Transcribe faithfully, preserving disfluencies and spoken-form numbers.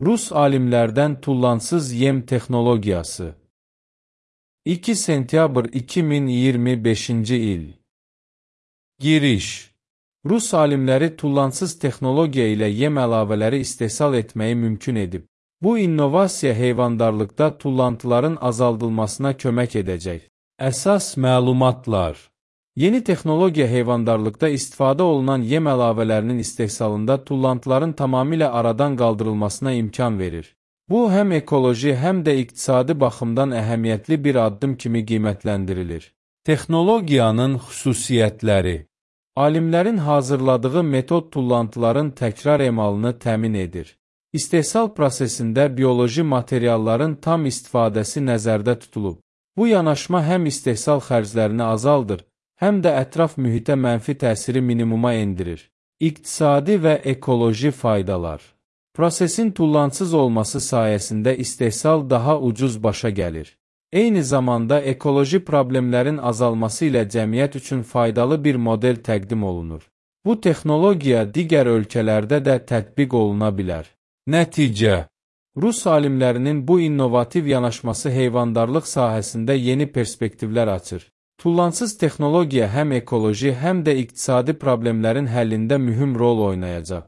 Rus alimlərdən tullansız yem texnologiyası. iki sentyabr iki min iyirmi beşinci il. Giriş. Rus alimləri tullansız texnologiya ilə yem əlavələri istehsal etməyi mümkün edib. Bu innovasiya heyvandarlıqda tullantıların azaldılmasına kömək edəcək. Əsas məlumatlar. Yeni texnologiya heyvandarlıqda istifadə olunan yem əlavələrinin istehsalında tullantıların tamamilə aradan qaldırılmasına imkan verir. Bu, həm ekoloji, həm də iqtisadi baxımdan əhəmiyyətli bir addım kimi qiymətləndirilir. Texnologiyanın xüsusiyyətləri. Alimlərin hazırladığı metod tullantıların təkrar emalını təmin edir. İstehsal prosesində bioloji materialların tam istifadəsi nəzərdə tutulub. Bu yanaşma həm istehsal xərclərini azaldır, həm də ətraf mühitə mənfi təsiri minimuma endirir. İqtisadi və ekoloji faydalar. Prosesin tullansız olması sayəsində istehsal daha ucuz başa gəlir. Eyni zamanda ekoloji problemlərin azalması ilə cəmiyyət üçün faydalı bir model təqdim olunur. Bu texnologiya digər ölkələrdə də tətbiq oluna bilər. Nəticə. Rus alimlərinin bu innovativ yanaşması heyvandarlıq sahəsində yeni perspektivlər açır. Tullansız texnologiya həm ekoloji, həm də iqtisadi problemlərin həllində mühüm rol oynayacaq.